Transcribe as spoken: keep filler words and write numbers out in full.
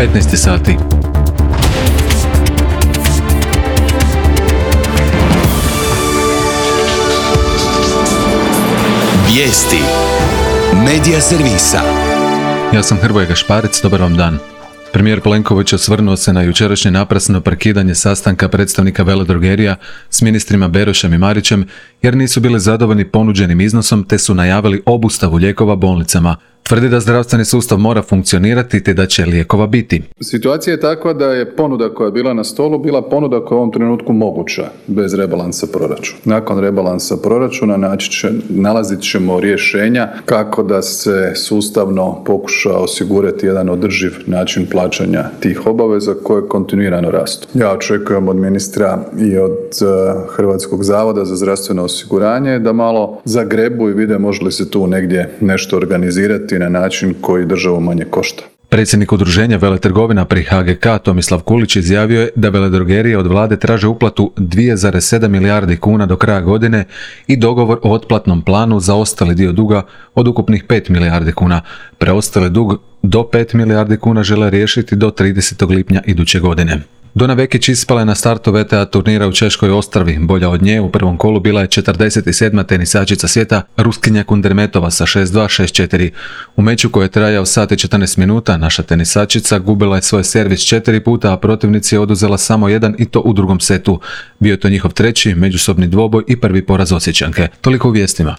petnaest sati. Vijesti Medija servisa. Ja sam Hrvoje Gašparec, dobar vam dan. Premijer Plenković osvrnuo se na jučerašnje naprasno prekidanje sastanka predstavnika veledrogerija s ministrima Berošem i Marićem jer nisu bili zadovoljni ponuđenim iznosom te su najavili obustavu lijekova bolnicama. Tvrdi da zdravstveni sustav mora funkcionirati te da će lijekova biti. Situacija je takva da je ponuda koja je bila na stolu bila ponuda koja je u ovom trenutku moguća bez rebalansa proračuna. Nakon rebalansa proračuna naći će, nalazit ćemo rješenja kako da se sustavno pokuša osigurati jedan održiv način plaćanja tih obaveza koje kontinuirano rastu. Ja očekujem od ministra i od uh, Hrvatskog zavoda za zdravstveno osiguranje da malo zagrebu i vide može li se tu negdje nešto organizirati na način koji državu manje košta. Predsjednik udruženja veletrgovina pri H G K Tomislav Kulić izjavio je da veledrogerije od vlade traže uplatu dvije zarez sedam milijardi kuna do kraja godine i dogovor o otplatnom planu za ostali dio duga od ukupnih pet milijardi kuna. Preostali dug do pet milijardi kuna žele riješiti do tridesetog lipnja iduće godine. Dona Vekić ispala je na startu V T A turnira u Češkoj Ostravi. Bolja od nje u prvom kolu bila je četrdeset sedma tenisačica svijeta Ruskinja Kundermetova sa šest dva šest četiri. U meču koji je trajao sat i četrnaest minuta, naša tenisačica gubila je svoj servis četiri puta, a protivnici je oduzela samo jedan i to u drugom setu. Bio je to njihov treći međusobni dvoboj i prvi poraz Osječanke. Toliko u vijestima.